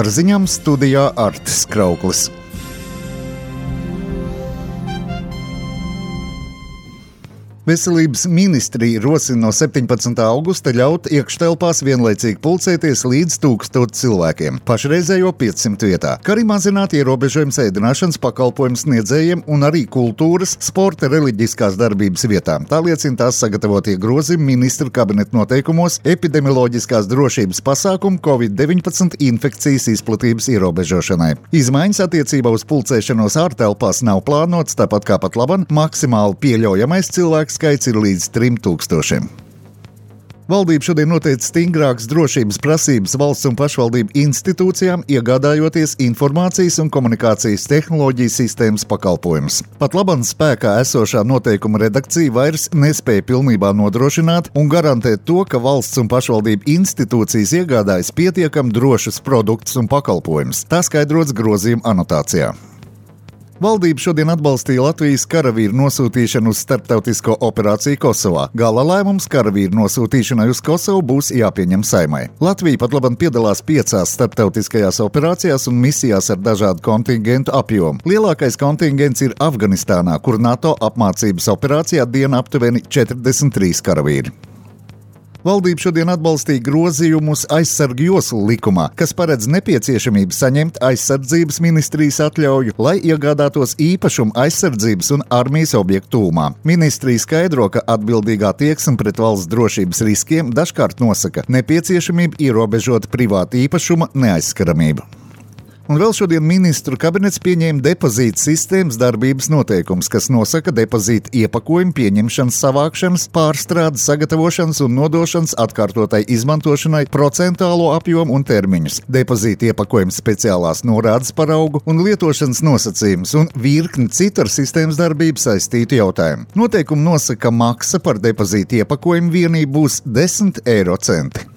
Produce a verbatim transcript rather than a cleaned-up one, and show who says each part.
Speaker 1: Ar ziņām studijā Artis Krauklis. Veselības ministrija rosina no septiņpadsmitā augusta ļaut iekštelpās vienlaicīgi pulcēties līdz tūkstoš cilvēkiem, pašreizējo piecsimt vietā, kā arī mazināt ierobežojums ēdināšanas pakalpojumu sniedzējiem un arī kultūras, sporta, reliģiskās darbības vietām. Tā liecina tās sagatavotie grozījumi ministru kabineta noteikumos epidemioloģiskās drošības pasākumu covid deviņpadsmit infekcijas izplatības ierobežošanai. Izmaiņas attiecībā uz pulcēšanos ārtelpās nav plānotas, tāpat kā pat laban maksimāli pieļaujamais cilvēks skaits ir līdz trim tūkstošiem. Valdība šodien noteica stingrākas drošības prasības valsts un pašvaldību institūcijām, iegādājoties informācijas un komunikācijas tehnoloģiju sistēmas pakalpojumus. Pat labam spēkā esošā noteikuma redakcija vairs nespēja pilnībā nodrošināt un garantēt to, ka valsts un pašvaldību institūcijas iegādājas pietiekami drošus produktus un pakalpojumus. Tā skaidrots grozījuma anotācijā. Valdība šodien atbalstīja Latvijas karavīru nosūtīšanu uz starptautisko operāciju Kosovā. Gala lēmums karavīru nosūtīšanai uz Kosovu būs jāpieņem Saeimai. Latvija pat labam piedalās piecās starptautiskajās operācijās un misijās ar dažādu kontingentu apjomu. Lielākais kontingents ir Afganistānā, kur NATO apmācības operācijā diena aptuveni četrdesmit trīs karavīri. Valdība šodien atbalstīja grozījumus aizsargu joslu likumā, kas paredz nepieciešamību saņemt aizsardzības ministrijas atļauju, lai iegādātos īpašumu aizsardzības un armijas objektu tūmā. Ministrija skaidro, ka atbildīgā attieksme pret valsts drošības riskiem dažkārt nosaka nepieciešamību ierobežot privātu īpašuma neaizskaramību. Un vēl šodien ministru kabinets pieņēma depozīta sistēmas darbības noteikums, kas nosaka depozīta iepakojumu pieņemšanas, savākšanas, pārstrādes, sagatavošanas un nodošanas atkārtotai izmantošanai procentuālo apjomu un termiņus, depozīta iepakojumu speciālās norādes paraugu un lietošanas nosacījumus un virkni citu ar sistēmas darbību saistītu jautājumu. Noteikumi nosaka, ka maksa par depozīta iepakojumu vienību būs desmit eiro centi.